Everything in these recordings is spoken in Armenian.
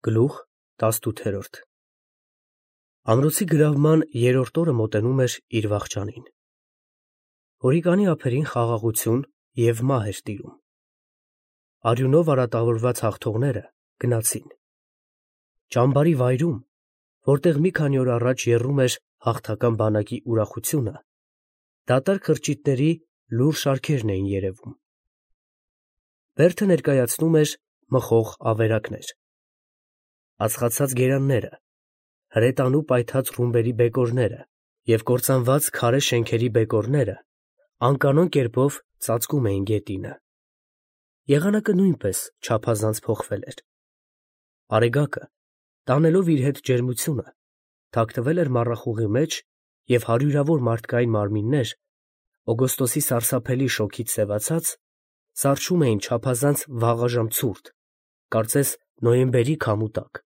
Գլուխ 18 Ամրոցի գրավման երրորդ օրը մոտենում էր իր վախճանին։ Հորիկանի ափերին խաղաղություն և մահ էր տիրում։ Արյունով արատավորված հաղթողները գնացին։ Ճամբարի վայրում, որտեղ մի քանի օր առաջ եռում էր հաղթական բանակի ուրախությունը, դատարկ խրճիթների լուռ շարքերն էին երևում։ Բերդը ներկայացնում էր մխող ավերակներ, ածխացած գերանները, հրետանու պայթած ռումբերի բեկորները և կործանված քարե շենքերի բեկորները անկանոն կերպով ծածկում էին գետինը։ Եղանակը նույնպես չափազանց փոխվել էր։ Արեգակը, տանելով իր հետ ջերմությունը, թաքնվել էր մառախուղի մեջ, և հարյուրավոր մարդկային մարմիններ, օգոստոսի սարսափելի շոգից սևացած, սառչում էին չափազանց վաղաժամ ցուրտ, կարծես նոյեմբերի քամու տակ։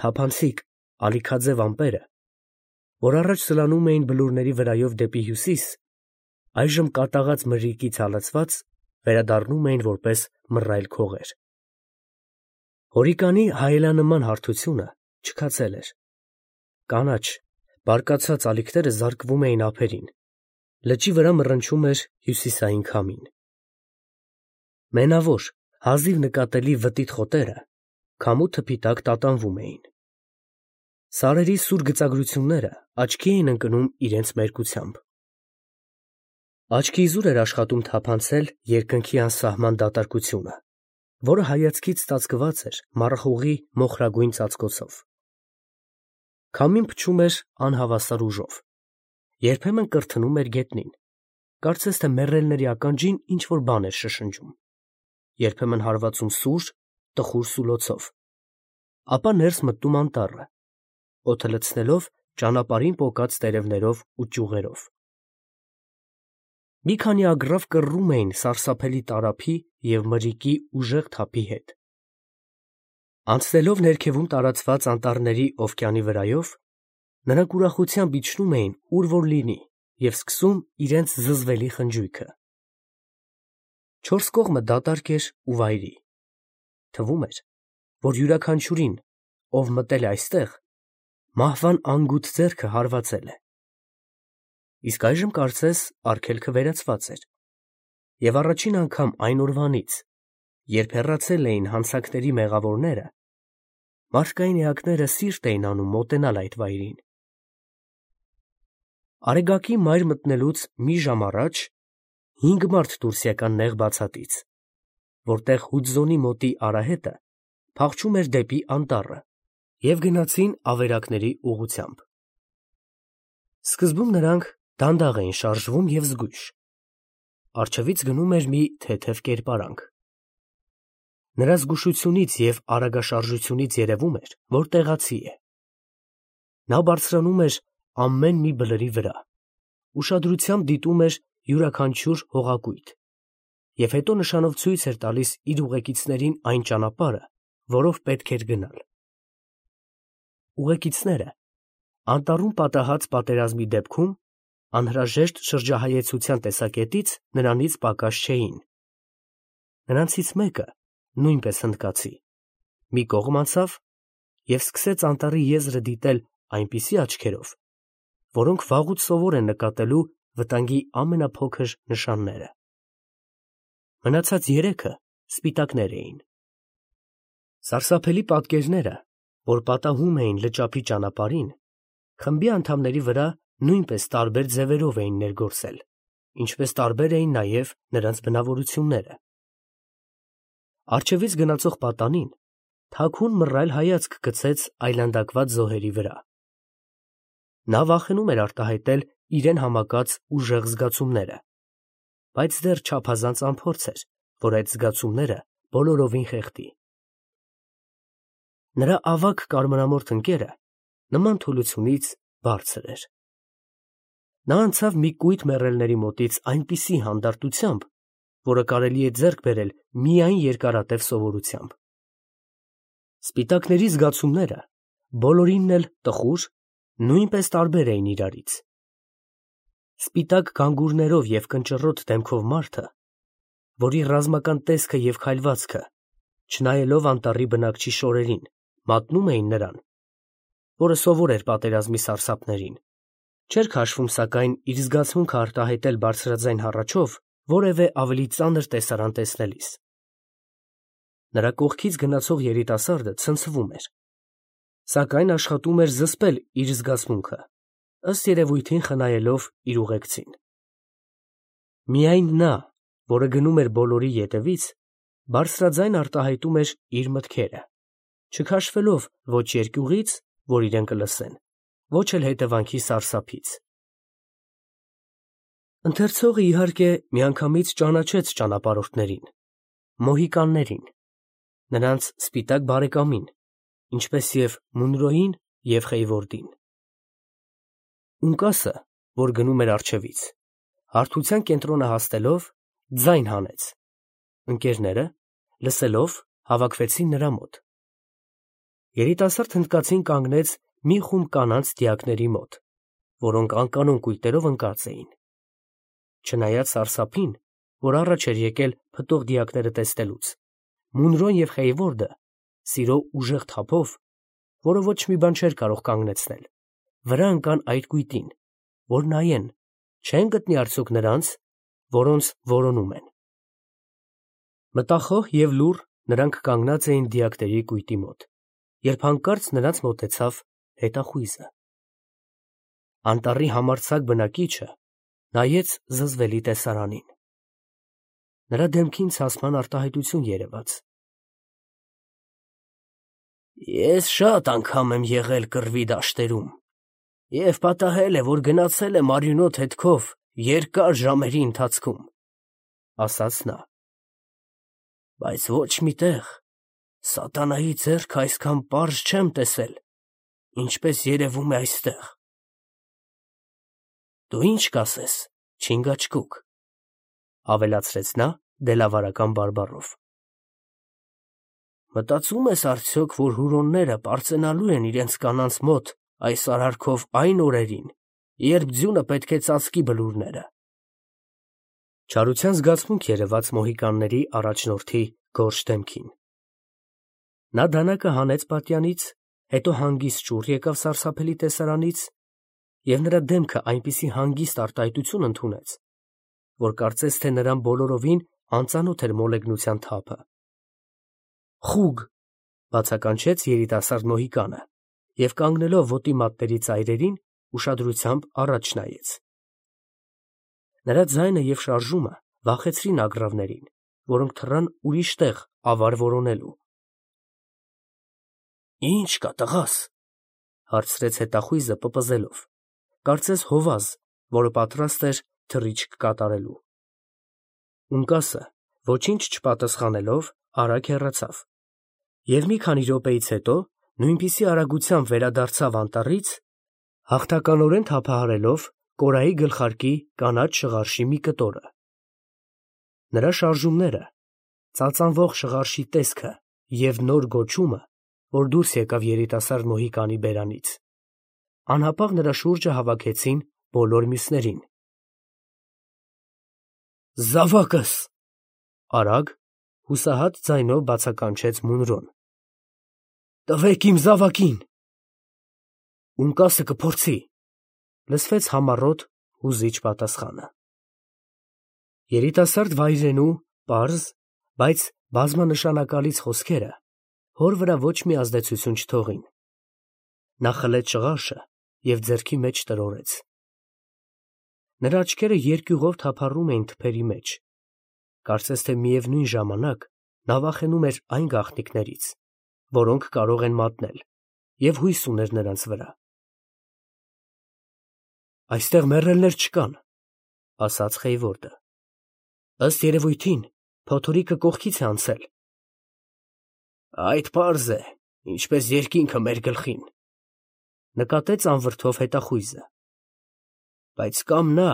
Թափանցիկ, ալիքաձև ամպերը, որ առաջ սլանում էին բլուրների վրայով դեպի հյուսիս, այժմ կատաղած մրրիկից հալածված, վերադառնում էին որպես մռայլ քողեր։ Հորիկանի հայելանման հարթությունը չքացել էր։ Կանաչ, բարկացած ալիքները զարկվում էին ափերին, լճի վրա մռնչում էր հյուսիսային քամին։ Մենավոր, հազիվ նկատելի վտիտ խոտերը քամու թփի տակ տատանվում էին։ Սարերի սուր գծագրությունները աչքի էին ընկնում իրենց մերկությամբ։ Աչքի իզուր էր աշխատում թափանցել երկնքի անսահման դատարկությունը, որը հայացքից ծածկված էր մառախուղի մոխրագույն ծածկոցով։ Քամին փչում էր անհավասար ուժով, երբեմն կրթնում էր գետնին, կարծես թե մեռելների ականջին ինչ֊որ բան էր շշնջում, երբեմն հարվածում սուր, տխուր սուլոցով, ապա ներս մտնում անտառը, օդը լցնելով ճանապարհին պոկած տերևներով ու ճյուղերով։ Մի քանի ագռավ կռռում էին սարսափելի տարափի և մրրիկի ուժեղ թափի հետ։ Անցնելով ներքևում տարածված անտառների օվկիանի վրայով, նրանք ուրախությամբ իջնում էին ուր որ լինի և սկսում իրենց զզվելի խնջույքը։ Չորս կողմը դատարկ էր ու վայրի։ Թվում էր, որ յուրաքանչյուրին, ով մտել է այստեղ, մահվան անգութ ձեռքը հարվածել է։ Իսկ այժմ կարծես արգելքը վերացված էր, և առաջին անգամ այն օրվանից, երբ հեռացել էին հանցանքների մեղավորները, մարդկային էակները սիրտ էին անում մոտենալ այդ վայրին։ Արեգակի մայր մտնելուց մի ժամ առաջ 5 մարդ դուրս եկան նեղ բացատից, որտեղ Հուդզոնի մոտի արահետը փախչում էր դեպի անտառը, և գնացին ավերակների ուղղությամբ։ Սկզբում նրանք դանդաղ էին շարժվում և զգույշ։ Առջևից գնում էր մի թեթև կերպարանք։ Նրա զգուշությունից և արագաշարժությունից երևում էր, որ տեղացի է։ Նա բարձրանում էր ամեն մի բլրի վրա, ուշադրությամբ դիտում էր յուրաքանչյուր հողակույտ և հետո նշանով ցույց էր տալիս իր ուղեկիցներին այն ճանապարհը, որով պետք էր գնալ։ Ուղեկիցները անտառում պատահած պատերազմի դեպքում անհրաժեշտ շրջահայեցության տեսակետից նրանից պակաս չէին։ Նրանցից մեկը, նույնպես հնդկացի, մի կողմ անցավ և սկսեց անտառի եզրը դիտել այնպիսի աչքերով, որոնք վաղուց սովոր են նկատելու վտանգի ամենափոքր նշանները։ Մնացած երեքը սպիտակներ էին։ Սարսափելի պատկերները, որ պատահում էին լճափի ճանապարհին, խմբի անդամների վրա նույնպես տարբեր ձևերով էին ներգործել, ինչպես տարբեր էին նաև նրանց բնավորությունները։ Առջևից գնացող պատանին թաքուն մռայլ հայացք գցեց այլանդակված զոհերի վրա։ Նա վախենում էր արտահայտել իրեն համակած ուժեղ զգացումները, բայց դեռ չափազանց անփորձ էր, որ այդ զգացումները բոլորովին խեղդի։ Նրա ավագ կարմրամորթ ընկերը նման թուլությունից բարձր էր։ Նա անցավ մի կույտ մեռելների մոտից այնպիսի հանդարտությամբ, որը կարելի է ձեռք բերել միայն երկարատև սովորությամբ։ Սպիտակների զգացումները բոլորինն էլ տխուր, նույնպես տարբեր էին իրարից։ Սպիտակ գանգուրներով և կնճռոտ դեմքով մարդը, որի ռազմական տեսքը և քայլվածքը չնայելով անտառի բնակչի շորերին, մատնում էին նրան, որը սովոր էր պատերազմի սարսափներին, չէր քաշվում սակայն իր զգացմունքը արտահայտել բարձրաձայն հառաչով որևէ ավելի ծանր տեսարան տեսնելիս։ Նրա կողքից գնացող երիտասարդը ցնցվում էր, սակայն աշխատում էր զսպել իր զգացմունքը, ըստ երևույթին խնայելով իր ուղեկցին։ Միայն նա, որը գնում էր բոլորի ետևից, բարձրաձայն արտահայտում էր իր մտքերը, չքաշվելով ոչ երկյուղից, որ իրեն կլսեն, ոչ էլ հետևանքի սարսափից։ Ընթերցողը իհարկե միանգամից ճանաչեց ճանապարհորդներին, մոհիկաններին, նրանց սպիտակ բարեկամին, ինչպես և Մունրոյին և Խեյվորդին։ Ունկասը, որ գնում էր առջևից, հարթության կենտրոնը հասնելով, ձայն հանեց։ Ընկերները, լսելով, հավաքվեցին նրա մոտ։ Երիտասարդ հնդկացին կանգնեց մի խումբ կանանց դիակների մոտ, որոնք անկանոն կույտերով ընկած էին։ Չնայած սարսափին, որ առաջ էր եկել փտող դիակները տեսնելուց, Մունրոն և Խեյվորդը սիրո ուժեղ թափով, որը ոչ մի բան չէր կարող կանգնեցնել, վրա ընկան այդ կույտին, որ նայեն, չեն գտնի արդյոք նրանց, որոնց որոնում են։ Մտախոհ և լուռ նրանք կանգնած էին դիակների կույտի մոտ, երբ հանկարծ նրանց մոտեցավ հետախույզը։ Անտառի համարձակ բնակիչը նայեց զզվելի տեսարանին։ Նրա դեմքին ցասման արտահայտություն երևաց։ Ես շատ անգամ եմ եղել կռվի դաշտերում և պատահել է, որ գնացել եմ արյունոտ հետքով երկար ժամերի ընթացքում, ասաց նա, բայց ոչ մի տեղ սատանայի ձեռքը այսքան պարզ չեմ տեսել, ինչպես երևում է այստեղ։ Դու ինչ կասես, Չինգաչգուկ, ավելացրեց նա դելավարական բարբառով։ Մտածում ես արդյոք, որ հուրոնները պարծենալու են իրենց կանանց մոտ այս արարքով այն օրերին, երբ ձյունը պետք է ծածկի բլուրները։ Չարության զգացմունք երևաց մոհիկանների առաջնորդի գորշ դեմքին։ Նա դանակը հանեց պատյանից, հետո հանգիստ շուռ եկավ սարսափելի տեսարանից, և նրա դեմքը այնպիսի հանգիստ արտահայտություն ընդունեց, որ կարծես թե նրան բոլորովին անծանոթ էր մոլեգնության թափը։ Խուգ, բացականչեց երիտասարդ մոհիկանը և կանգնելով ոտի մատների ծայրերին, ուշադրությամբ առաջ նայեց։ Նրա ձայնը և շարժումը վախեցրին ագռավներին, որոնք թռան ուրիշ տեղ ավար որոնելու։ Ի՞նչ կա, տղաս, հարցրեց հետախույզը պպզելով, կարծես հովազ, որը պատրաստ էր թռիչք կատարելու։ Ունկասը, ոչինչ չպատասխանելով, արագ հեռացավ, և մի քանի րոպեից հետո նույնպիսի արագությամբ վերադարձավ անտառից, հաղթականորեն թափահարելով կորայի գլխարկի կանաչ շղարշի մի կտորը։ Նրա շարժումները, ծածանվող շղարշի տեսքը և նոր գոչումը, որ դուրս եկավ երիտասարդ մոհիկանի բերանից, անհապաղ նրա շուրջը հավաքեցին բոլոր մյուսներին։ Զավակս, արագ, հուսահատ ձայնով բացականչեց Մունրոն։ Տվեք իմ զավակին։ Ունկասը կփորձի, լսվեց համառոտ հուզիչ պատասխանը։ Երիտասարդ վայրենու պարզ, բայց բազմանշանակալից խոսքերը հոր վրա ոչ մի ազդեցություն չթողին։ Նա խլեց շղարշը և ձեռքի մեջ տրորեց։ Նրա աչքերը երկյուղով թափառում էին թփերի մեջ, կարծես թե միևնույն ժամանակ նա վախենում էր այն գաղտնիքներից, որոնք կարող են մատնել, և հույս ուներ նրանց վրա։ Այստեղ մեռելներ չկան, ասաց Խեյվորդը։ Ըստ երևույթին, փոթորիկը կողքից է անցել։ Այդ պարզ է, ինչպես երկինքը մեր գլխին, նկատեց անվրդով հետախույզը։ Բայց կամ նա,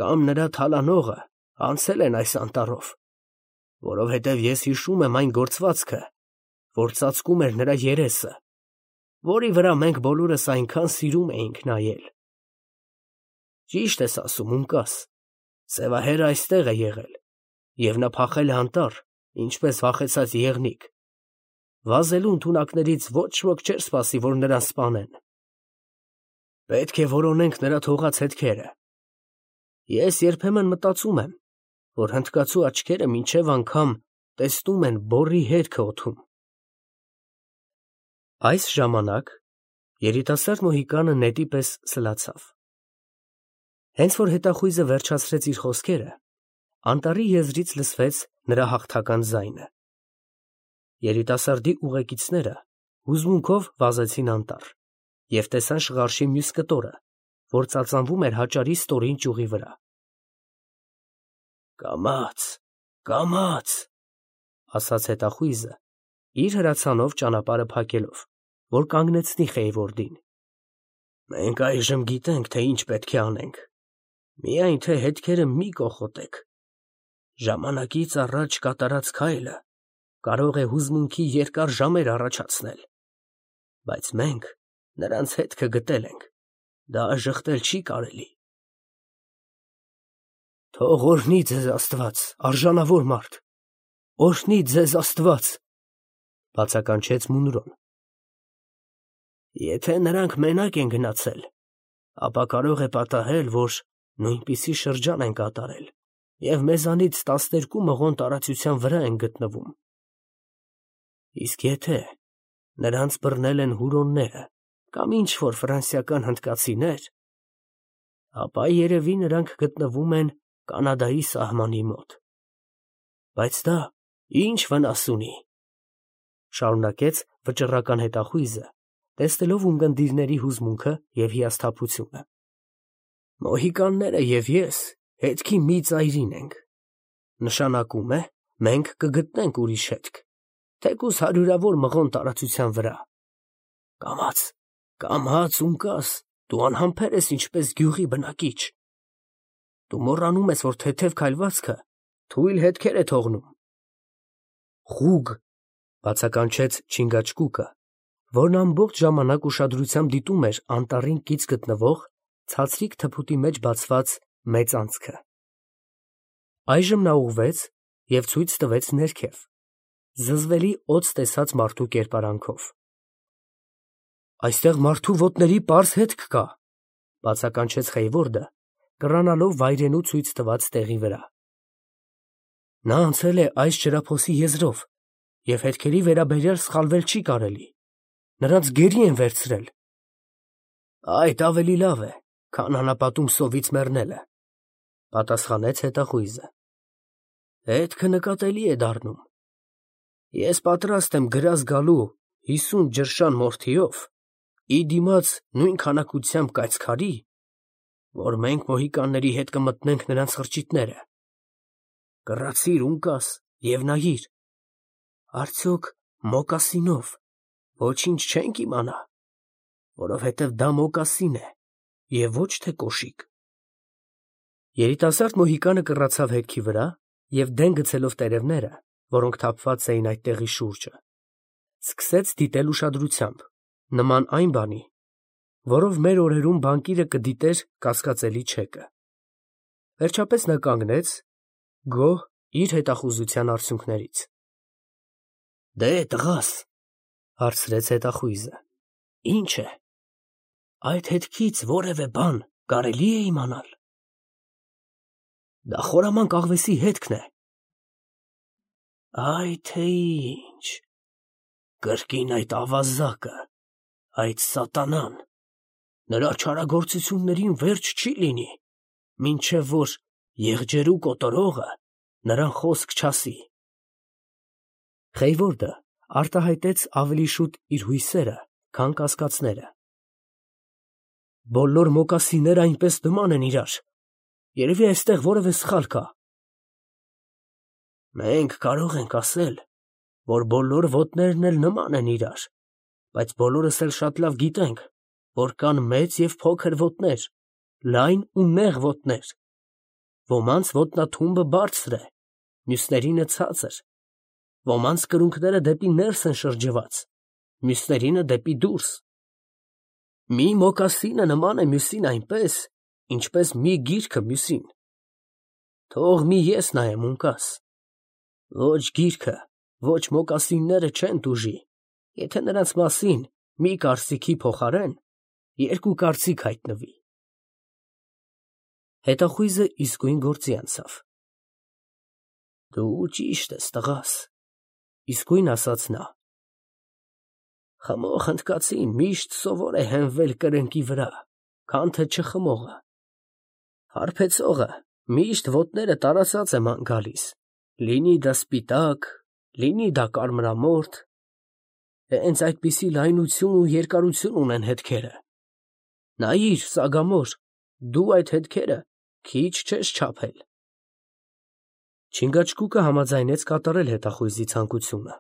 կամ նրա թալանողը անցել են այս անտառով, որովհետև ես հիշում եմ այն գործվածքը, որ ծածկում էր նրա երեսը, որի վրա մենք բոլորս այնքան սիրում էինք նայել։ Ճիշտ ես ասում, Ունկաս, սևահերը այստեղ է եղել, և նա փախել է անտառ, ինչպես վախեցած եղնիկ, Վազելու ընդունակներից ոչ ոք չէր սպասի, որ նրան սպանեն։ Պետք է որոնենք նրա թողած հետքերը։ Ես երբեմն մտածում եմ, որ հնդկացու աչքերը մինչև անգամ տեսնում են բոռի հետքը օդում։ Այս ժամանակ երիտասարդ մոհիկանը նետի պես սլացավ։ Հենց որ հետախույզը վերջացրեց իր խոսքերը, անտառի եզրից լսվեց նրա հաղթական ձայնը։ Երիտասարդի ուղեկիցները հուզմունքով վազեցին անտառ և տեսան շղարշի մյուս կտորը, որ ծածանվում էր հաճարի ստորին ճյուղի վրա։ Կամաց, կամաց, ասաց հետախույզը, իր հրացանով ճանապարհը փակելով, որ կանգնեցնի Խեյվորդին։ Մենք այժմ գիտենք, թե ինչ պետք է անենք, միայն թե հետքերը մի կոխոտեք։ Ժամանակից առաջ կատարած քայլը կարող է հուզմունքի երկար ժամեր առաջացնել, բայց մենք նրանց հետքը գտել ենք, դա ժխտել չի կարելի։ Թող օրհնի ձեզ Աստված, արժանավոր մարդ, օրհնի ձեզ Աստված, բացականչեց Մունրոն։ Եթե նրանք մենակ են գնացել, ապա կարող է պատահել, որ նույնպիսի շրջան են կատարել և մեզանից 12 մղոն տարածության վրա են գտնվում։ Իսկ եթե նրանց բռնել են հուրոնները կամ ինչ-որ ֆրանսիական հնդկացիներ, ապա երևի նրանք գտնվում են Կանադայի սահմանի մոտ։ Բայց դա ինչ վնաս ունի, շարունակեց վճռական հետախույզը, տեսնելով ունկնդիրների հուզմունքը և հիասթափությունը։ Մոհիկանները և ես հետքի մի ծայրին ենք, նշանակում է, մենք կգտնենք ուրիշ հետք, թեկուզ հարյուրավոր մղոն տարածության վրա։ Կամաց, կամաց, ունկաս, դու անհամբեր ես ինչպես գյուղի բնակիչ։ Դու մոռանում ես, որ թեթև քայլվածքը թույլ հետքեր է թողնում։ Խուգ, բացականչեց Չինգաչկուկը, որն ամբողջ ժամանակ ուշադրությամբ դիտում էր անտառին կից գտնվող ցածրիկ թփուտի մեջ բացված մեծ անցքը։ Այժմ նա ուղղվեց և ցույց տվեց ներքև, զզվելի օձ տեսած մարդու կերպարանքով։ Այստեղ մարդու ոտների պարզ հետք կա, բացականչեց Խեյվորդը, կռանալով վայրենու ցույց տված տեղի վրա։ Նա անցել է այս ջրափոսի եզրով և հետքերի վերաբերյալ սխալվել չի կարելի, նրանց գերի են վերցրել։ Այդ ավելի լավ է, քան անապատում սովից մեռնելը, պատասխանեց հետախույզը։ Հետքը նկատելի է դառնում։ Ես պատրաստ եմ գրազ գալու 50 ջրշան մորթիով, ի դիմաց նույն քանակությամբ կայծքարի, որ մենք մոհիկանների հետ կմտնենք նրանց խրճիթները։ Կռացիր, ունկաս, և նայիր, արդյոք մոկասինով ոչինչ չենք իմանա, որովհետև դա մոկասին է և ոչ թե կոշիկ։ Երիտասարդ մոհիկանը կռացավ հետքի վրա և դեն գցելով տերևները, որոնք թափված էին այդ տեղի շուրջը, սկսեց դիտել ուշադրությամբ, նման այն բանի, որով մեր օրերում բանկիրը կդիտեր կասկածելի չեկը։ Վերջապես նա կանգնեց, գոհ իր հետախուզության արդյունքներից։ Դե տղաս, հարցրեց հետախույզը, ի՞նչ է, այդ հետքից որևէ բան կարելի է իմանալ։ Դա խորամանկ աղվեսի հետքն է։ Այ թե ինչ, կրկին այդ ավազակը, այդ սատանան, նրա չարագործություններին վերջ չի լինի, մինչև որ եղջերու կոտորողը նրան խոսք չասի։ Խեյվորդը արտահայտեց ավելի շուտ իր հույսերը, քան կասկածները։ Բոլոր մոկասինները այնպես նման են իրար, երևի այստեղ որևէ սխալ կա։ Մենք կարող ենք ասել, որ բոլոր ոտներն էլ նման են իրար, բայց բոլորս էլ շատ լավ գիտենք, որ կան մեծ և փոքր ոտներ, լայն ու նեղ ոտներ։ Ոմանց ոտնաթումբը բարձր է, մյուսներինը ցածր, ոմանց կրունկները դեպի ներս են շրջված, մյուսներինը դեպի դուրս։ Մի մոկասինը նման է մյուսին այնպես, ինչպես մի գիրքը մյուսին։ Թող մի ես նայեմ, ունկաս։ Ոչ գիրքը, ոչ մոկասինները չեն տուժի, Եթե նրանց մասին մի կարծիքի փոխարեն երկու կարծիք հայտնվի։ Հետախույզը իսկույն գործի անցավ։ Դու ճիշտ ես, տղաս, իսկույն ասաց նա։ Խմող հնդկացին միշտ սովոր է հենվել կրնկի վրա, քան թե չխմողը։ Հարբեցողը միշտ ոտները տարածած է ման գալիս, լինի դա սպիտակ, լինի դա կարմրամորթ, հենց այդպիսի լայնություն ու երկարություն ունեն հետքերը։ Նայիր, Սագամոր, դու այդ հետքերը քիչ չես չափել։ Չինգաչգուկը համաձայնեց կատարել հետախույզի ցանկությունը։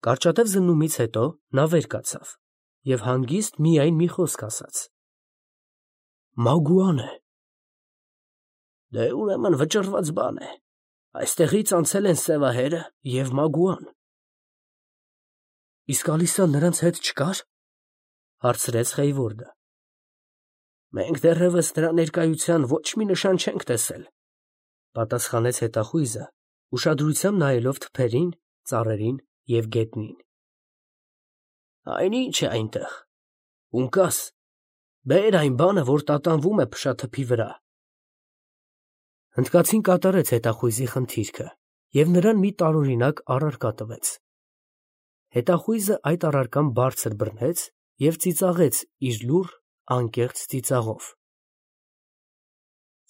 Կարճատև զննումից հետո նա վեր կացավ և հանգիստ միայն մի խոսք ասաց. Մագուան է։ Դե ուրեմն վճռված բան է, այստեղից անցել են Սևահերը և Մագուան։ Իսկ Ալիսան նրանց հետ չկա՞ր, հարցրեց Խեյվորդը։ Մենք դեռևս նրա ներկայության ոչ մի նշան չենք տեսել, պատասխանեց հետախույզը, ուշադրությամբ նայելով թփերին, ծառերին և գետնին։ Այնինչ է այնտեղ, ունկաս, բեր այն բանը, որ տատանվում է փշաթփի վրա։ Հնդկացին կատարեց հետախույզի խնդիրքը և նրան մի տարօրինակ առարկա տվեց։ Հետախույզը այդ առարկան բարձր բռնեց և ծիծաղեց իր լուռ, անկեղծ ծիծաղով։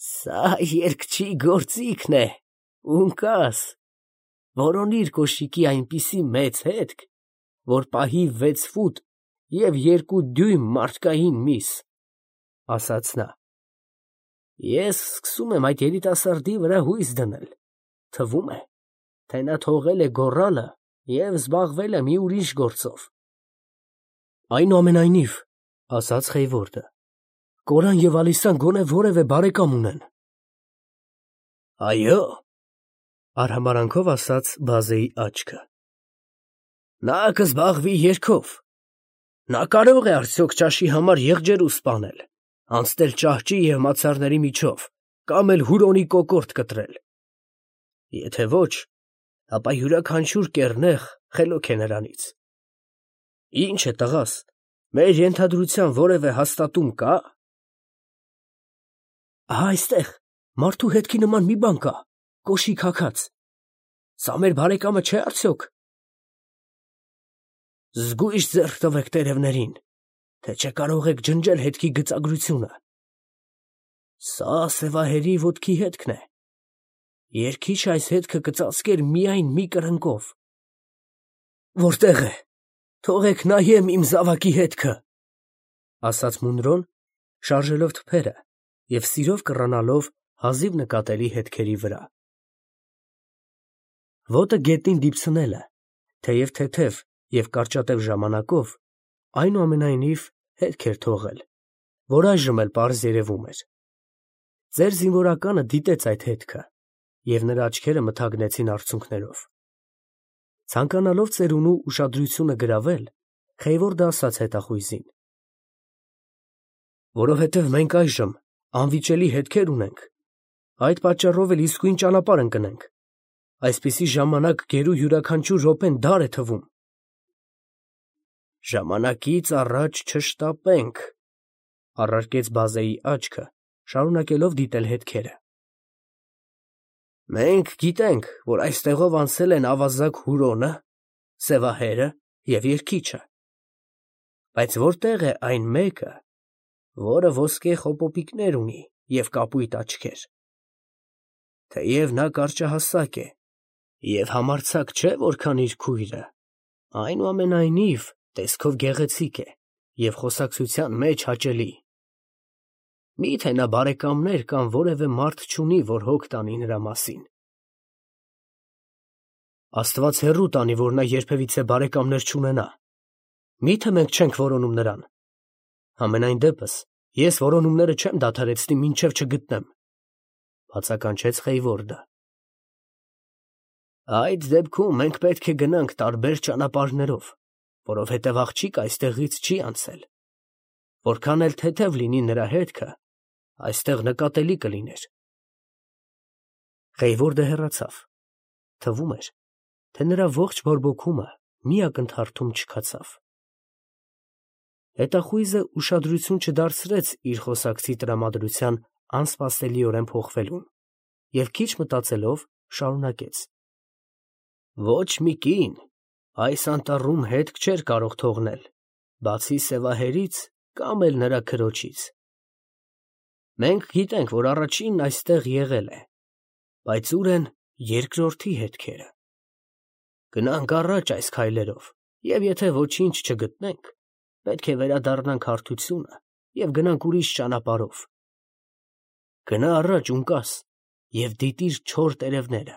Սա երգչի գործիքն է, ունկաս, որոնիր կոշիկի այնպիսի մեծ հետք, որ պահի 6 ֆուտ և 2 դյույմ մարդկային միս, ասաց նա։ Ես սկսում եմ այդ երիտասարդի վրա հույս դնել, թվում է, թե նա թողել է գոռալը և զբաղվել է մի ուրիշ գործով։ Այնուամենայնիվ, ասաց Խեյվորդը, Կորան և Ալիսան գոնե որևէ բարեկամ ունեն։ Այո, արհամարանքով ասաց Բազեի աչքը։ Նա կզբաղվի երգով։ Նա կարող է արդյոք ճաշի համար եղջերու սպանել, անցնել ճահճի և մացառների միջով, կամ էլ հուրոնի կոկորդ կտրել։ Եթե ոչ, ապա յուրաքանչյուր կեռնեխ խելոք է նրանից։ Ինչ է, տղաս, մեր ենթադրության որևէ հաստատում կա։ Ահա այստեղ մարդու հետքի նման մի բան կա, կոշիկ հագած։ Սա մեր բարեկամը չէ՞ արդյոք։ Զգույշ ձեռք տվեք տերևներին, թե չէ կարող եք ջնջել հետքի գծագրությունը։ Սա Սևահերի ոտքի հետքն է։ Երգիչը այս հետքը կծածկեր միայն մի կրնկով։ Որտե՞ղ է, թողեք նայեմ իմ զավակի հետքը, ասաց Մունրոն, շարժելով թփերը և սիրով կռանալով հազիվ նկատելի հետքերի վրա։ Ոտը գետնին դիպցնելը, թեև թեթև և կարճատև ժամանակով, այնուամենայնիվ հետք էր թողել, որ այժմ էլ պարզ երևում էր։ Ձեր զինվորականը դիտեց այդ հետքը, և նրա աչքերը մթագնեցին արցունքներով։ Ցանկանալով ծերունու ուշադրությունը գրավել, Խեյվորդը ասաց հետախույզին. Որովհետև մենք այժմ անվիճելի հետքեր ունենք, այդ պատճառով էլ իսկույն ճանապարհ ընկնենք։ Այսպիսի ժամանակ գերու յուրաքանչյուր րոպեն դար է թվում։ Ժամանակից առաջ չշտապենք, առարկեց Բազեի աչքը, շարունակելով դիտել հետքերը։ Մենք գիտենք, որ այստեղով անցել են ավազակ Հուրոնը, Սևահերը և երգիչը։ Բայց որտե՞ղ է այն մեկը, որը ոսկե խոպոպիկներ ունի և կապույտ աչքեր։ Թեև նա կարճահասակ է և համարձակ չէ որքան իր քույրը, այնուամենայնիվ տեսքով գեղեցիկ է և խոսակցության մեջ հաճելի։ Մի՞թե նա բարեկամներ կամ որևէ մարդ չունի, որ հոգ տանի նրա մասին։ Աստված հեռու տանի, որ նա երբևիցե բարեկամներ չունենա։ Մի՞թե մենք չենք որոնում նրան։ Համենայն դեպս, ես որոնումները չեմ դադարեցնի, մինչև չգտնեմ, բացականչեց Խեյվորդը։ Այդ դեպքում մենք պետք է գնանք տարբեր ճանապարհներով, որովհետև աղջիկը այստեղից չի անցել։ Որքան էլ թեթև լինի նրա հետքը, այստեղ նկատելի կլիներ։ Խեյվորդը հեռացավ։ Թվում էր, թե նրա ողջ բորբոքումը մի ակնթարթում չքացավ։ Հետախույզը ուշադրություն չդարձրեց իր խոսակցի տրամադրության անսպասելիորեն փոխվելուն և քիչ մտածելով շարունակեց. «Ոչ մի կին այս անտառում հետք չէր կարող թողնել, բացի սևահերից կամ էլ նրա քրոջից։ Մենք գիտենք, որ առաջինն այստեղ եղել է, բայց ուր են երկրորդի հետքերը։ Գնանք առաջ այս քայլերով, և եթե ոչինչ չգտնենք, պետք է վերադառնանք հարթությունը և գնանք ուրիշ ճանապարհով։ Գնա առաջ, ունկաս, և դիտիր չոր տերևները։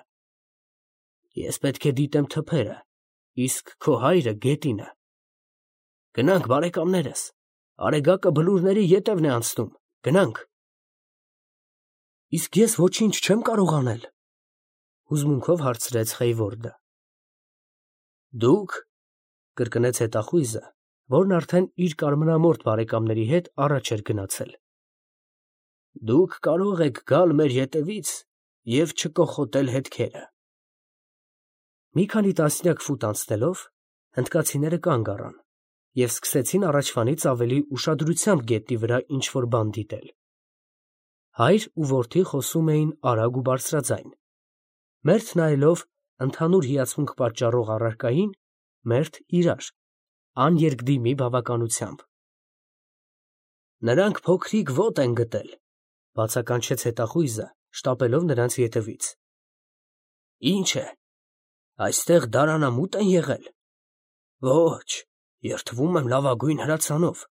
Ես պետք է դիտեմ թփերը, իսկ քո հայրը գետինը։ Գնանք, բարեկամներս, արեգակը բլուրների ետևն է անցնում, գնանք»։ «Իսկ ես ոչինչ չեմ կարող անել», հուզմունքով հարցրեց Խեյվորդը։ «Դուք», կրկնեց հետախույզը, որն արդեն իր կարմրամորթ բարեկամների հետ առաջ էր գնացել, «դուք կարող եք գալ մեր ետևից և չկոխոտել հետքերը»։ Մի քանի տասնյակ ֆուտ անցնելով, հնդկացիները կանգ առան և սկսեցին առաջվանից ավելի ուշադրությամբ գետնի վրա ինչ֊որ բան դիտել։ Հայր ու որդի խոսում էին արագ ու բարձրաձայն, մերթ նայելով ընդհանուր հիացմունք պատճառող առարկային, մերթ իրար, աներկդիմի բավականությամբ։ «Նրանք փոքրիկ ոտ են գտել», բացականչեց հետախույզը, շտապելով նրանց ետևից։ «Ի՞նչ է, այստեղ դարանամուտ են եղել։ Ոչ, երդվում եմ լավագույն հրացանով,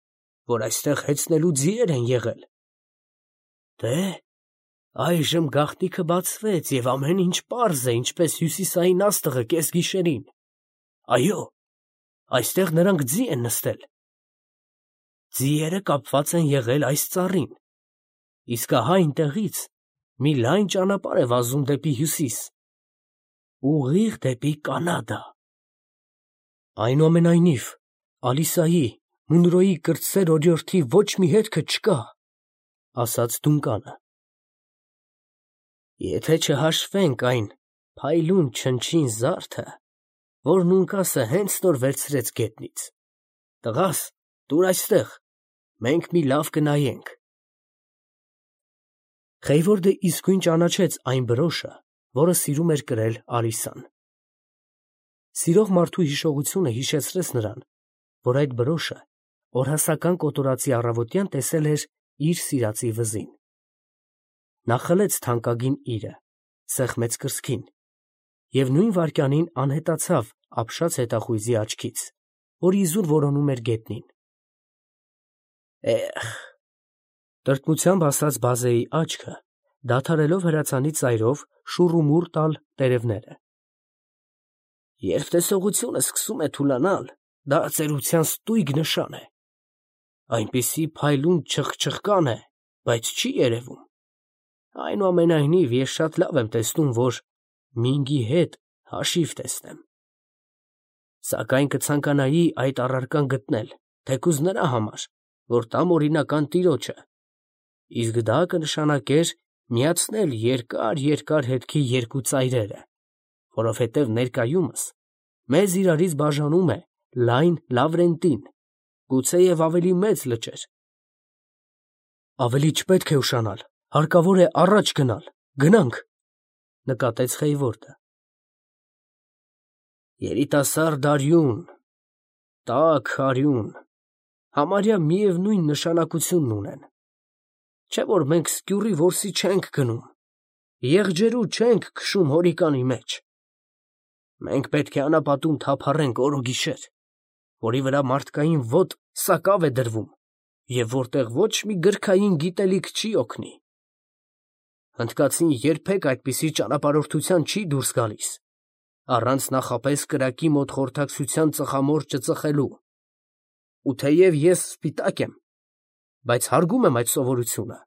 որ այստեղ հեծնելու ձիեր են եղել։ Դե, այժմ գաղտնիքը բացվեց և ամեն ինչ պարզ է, ինչպես հյուսիսային աստղը կեսգիշերին։ Այո, այստեղ նրանք ձի են նստել։ Ձիերը կապված են եղել այս ծառին, իսկ ահա այնտեղից մի լայն ճանապարհ է վազում դեպի հյուսիս, ուղիղ դեպի Կանադա»։ «Այնուամենայնիվ, Ալիսայի, Մունրոյի կրտսեր օրիորդի ոչ մի հետքը չկա», ասաց Դունկանը։ «Եթե չհաշվենք այն փայլուն չնչին զարդը, որն ունկասը հենց նոր վերցրեց գետնից։ Տղաս, տուր այստեղ, մենք մի լավ կնայենք»։ Խեյվորդը իսկույն ճանաչեց այն բրոշը, որը սիրում էր կրել Ալիսան։ Սիրող մարդու հիշողությունը հիշեցրեց նրան, որ այդ բրոշը օրհասական կոտորածի առավոտյան տեսել էր իր սիրածի վզին։ Նա խլեց թանկագին իրը, սեղմեց կրծքին և նույն վայրկյանին անհետացավ ապշած հետախույզի աչքից, որ իզուր որոնում էր գետնին։ «Էհ», տրտմությամբ ասաց բազեի աչքը, դադարելով հրացանի ծայրով շուռումուռ տալ տերևները։ «Երբ տեսողությունը սկսում է թուլանալ, դա ծերության ստույգ նշան է։ Այնպիսի փայլուն չխչխկան է, բայց չի երևում։ Այնուամենայնիվ, ես շատ լավ եմ տեսնում, որ Մինգի հետ հաշիվ տեսնեմ։ Սակայն կցանկանայի այդ առարկան գտնել, թեկուզ նրա համար, որ տամ օրինական տիրոջը, իսկ դա կնշանակեր միացնել երկար հետքի երկու ծայրերը, որովհետև ներկայումս մեզ իրարից բաժանում է լայն Լավրենտին, գուցեև ավելի մեծ լճեր»։ «Ավելի չպետք է ուշանալ, հարկավոր է առաջ գնալ, գնանք», նկատեց Խեյվորդը։ «Երիտասարդ արյուն, տաք արյուն, համարյա միևնույն նշանակությունն ունեն, չէ՞ որ մենք սկյուռի որսի չենք գնում, եղջերու չենք քշում հորիկանի մեջ։ Մենք պետք է անապատում թափառենք օր ու գիշեր, որի վրա մարդկային ոտ սակավ է դրվում և որտեղ ոչ մի գրքային գիտելիք չի օգնի։ Հնդկացին երբեք այդպիսի ճանապարհորդության չի դուրս գալիս, առանց նախապես կրակի մոտ խորհրդակցության ծխամորճը ծխելու։ Ու թեև ես սպիտակ եմ, բայց հարգում եմ այդ սովորությունը,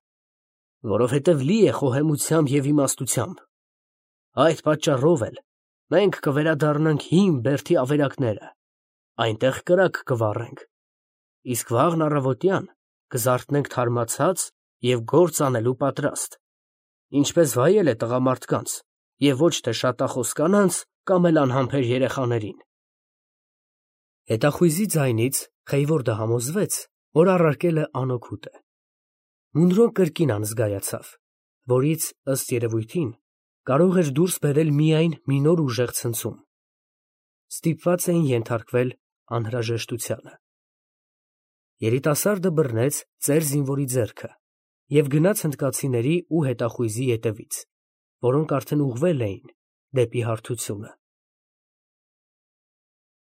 որովհետև լի է խոհեմությամբ և իմաստությամբ։ Այդ պատճառով էլ մենք կվերադառնանք հին Բերդի ավերակները, այնտեղ կրակ կվառենք, իսկ վաղն առավոտյան կզարթնենք թարմացած և գործ անելու պատրաստ, ինչպես վայել է տղամարդկանց և ոչ թե շատախոս կանանց կամ էլ անհամբեր երեխաներին։ Հետախույզի ձայնից Խեյվորդը համոզվեց, որ առարկել է անօգուտ է։ Մունրոն կրկին անզգայացավ, որից, ըստ երևույթին, կարող էր դուրս բերել միայն մի նոր ուժեղ ցնցում. ստիպված էին ենթարկվել անհրաժեշտությանը։ Երիտասարդը բռնեց ծեր զինվորի ձեռքը և գնաց հնդկացիների ու հետախույզի ետևից, որոնք արդեն ուղղվել էին դեպի հարթությունը։